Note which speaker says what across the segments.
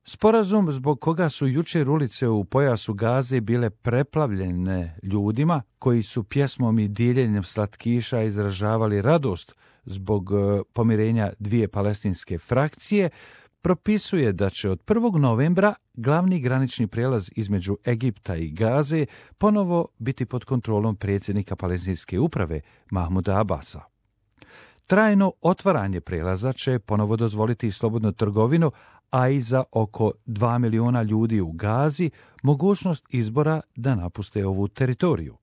Speaker 1: Sporazum zbog koga su jučer ulice u pojasu Gaze bile preplavljene ljudima koji su pjesmom i diljenjem slatkiša izražavali radost zbog pomirenja dvije palestinske frakcije, propisuje da će od 1. novembra glavni granični prijelaz između Egipta i Gaze ponovo biti pod kontrolom predsjednika palestinske uprave Mahmuda Abasa. Trajno otvaranje prijelaza će ponovo dozvoliti slobodnu trgovinu, a i za oko 2 miliona ljudi u Gazi mogućnost izbora da napuste ovu teritoriju.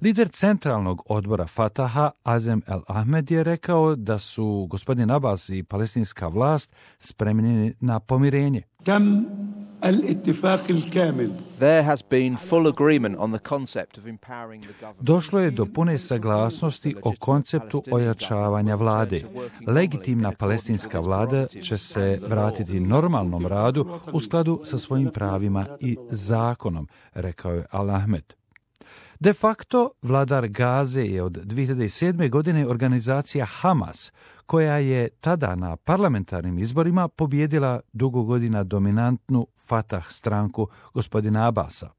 Speaker 1: Lider centralnog odbora Fataha, Azem El Ahmed, je rekao da su gospodin Abbas i palestinska vlast spremni na pomirenje. Došlo je do pune saglasnosti o konceptu ojačavanja vlade. Legitimna palestinska vlada će se vratiti normalnom radu u skladu sa svojim pravima i zakonom, rekao je Al Ahmed. De facto, vladar Gaze je od 2007. godine organizacija Hamas, koja je tada na parlamentarnim izborima pobijedila dugo godina dominantnu Fatah stranku gospodina Abasa.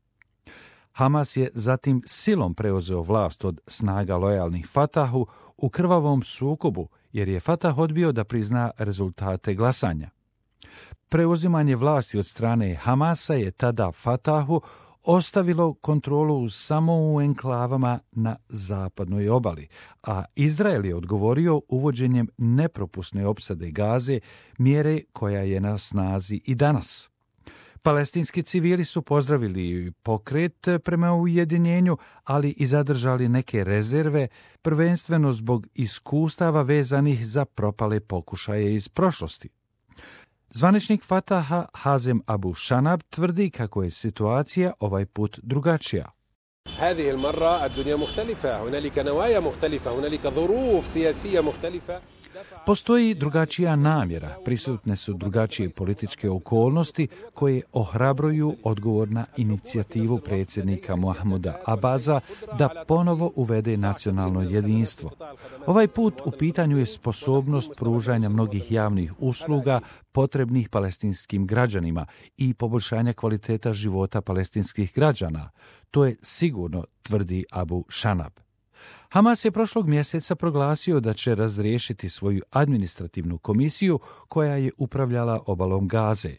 Speaker 1: Hamas je zatim silom preuzeo vlast od snaga lojalnih Fatahu u krvavom sukobu, jer je Fatah odbio da prizna rezultate glasanja. Preuzimanje vlasti od strane Hamasa je tada Fatahu ostavilo kontrolu samo u enklavama na zapadnoj obali, a Izrael je odgovorio uvođenjem nepropusne opsade Gaze, mjere koja je na snazi i danas. Palestinski civili su pozdravili pokret prema ujedinjenju, ali i zadržali neke rezerve, prvenstveno zbog iskustava vezanih za propale pokušaje iz prošlosti. Zvaničnik Fataha Hazem Abu Shanab tvrdi kako je situacija ovaj put drugačija.
Speaker 2: هذه المرة الدنيا مختلفة، هنالك نوايا مختلفة، هنالك ظروف سياسية مختلفة.
Speaker 1: Postoji drugačija namjera, prisutne su drugačije političke okolnosti koje ohrabruju odgovor na inicijativu predsjednika Mahmuda Abasa da ponovo uvede nacionalno jedinstvo. Ovaj put u pitanju je sposobnost pružanja mnogih javnih usluga potrebnih palestinskim građanima i poboljšanja kvaliteta života palestinskih građana. To je sigurno, tvrdi Abu Shanab. Hamas je prošlog mjeseca proglasio da će razriješiti svoju administrativnu komisiju koja je upravljala obalom Gaze.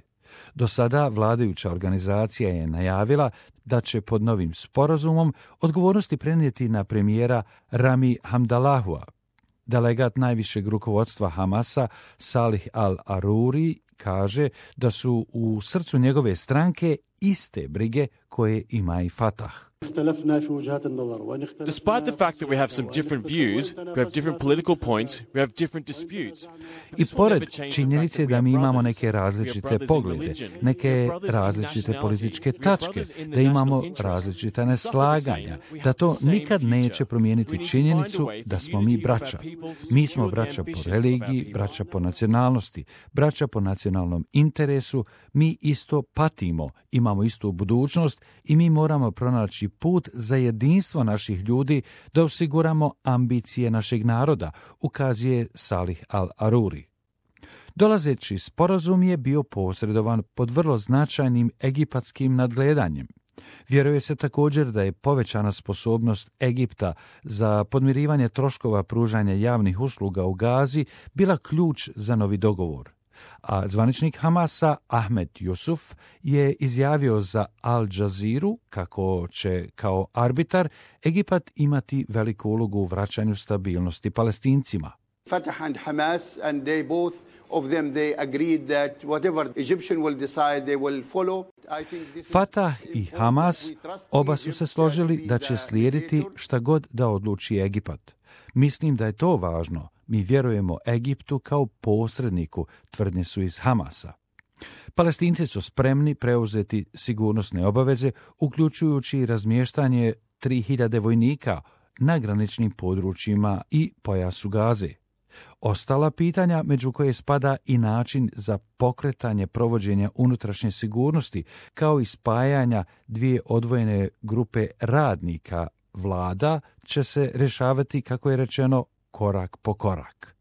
Speaker 1: Do sada vladajuća organizacija je najavila da će pod novim sporazumom odgovornosti prenijeti na premijera Rami Hamdallahua. Delegat najvišeg rukovodstva Hamasa Salih al-Aruri kaže da su u srcu njegove stranke iste brige koje ima i Fatah.
Speaker 3: Despite the fact that we have some different views, we have different political points, we have different disputes.
Speaker 1: I pored činjenice da mi imamo neke različite poglede, neke različite političke tačke, da imamo različita neslaganja, da to nikad neće promijeniti činjenicu da smo mi braća. Mi smo braća po religiji, braća po nacionalnosti, braća po nacionalnom interesu, mi isto patimo, imamo istu budućnost i mi moramo pronaći put za jedinstvo naših ljudi da osiguramo ambicije našeg naroda, ukazuje Salih al-Aruri. Dolazeći sporazum je bio posredovan pod vrlo značajnim egipatskim nadgledanjem. Vjeruje se također da je povećana sposobnost Egipta za podmirivanje troškova pružanja javnih usluga u Gazi bila ključ za novi dogovor. A zvaničnik Hamasa Ahmed Yusuf je izjavio za Al Jazeeru kako će kao arbitar Egipat imati veliku ulogu u vraćanju stabilnosti Palestincima.
Speaker 4: Fatah and Hamas, and they both of them they agreed that whatever Egyptian will decide they will follow.
Speaker 1: Fatah i Hamas oba su se složili da će slijediti šta god da odluči Egipat. Mislim da je to važno. Mi vjerujemo Egiptu kao posredniku, tvrdnje su iz Hamasa. Palestinci su spremni preuzeti sigurnosne obaveze, uključujući razmještanje 3000 vojnika na graničnim područjima i pojasu Gaze. Ostala pitanja, među koje spada i način za pokretanje provođenja unutrašnje sigurnosti, kao i spajanja dvije odvojene grupe radnika vlada, će se rješavati, kako je rečeno, korak po korak.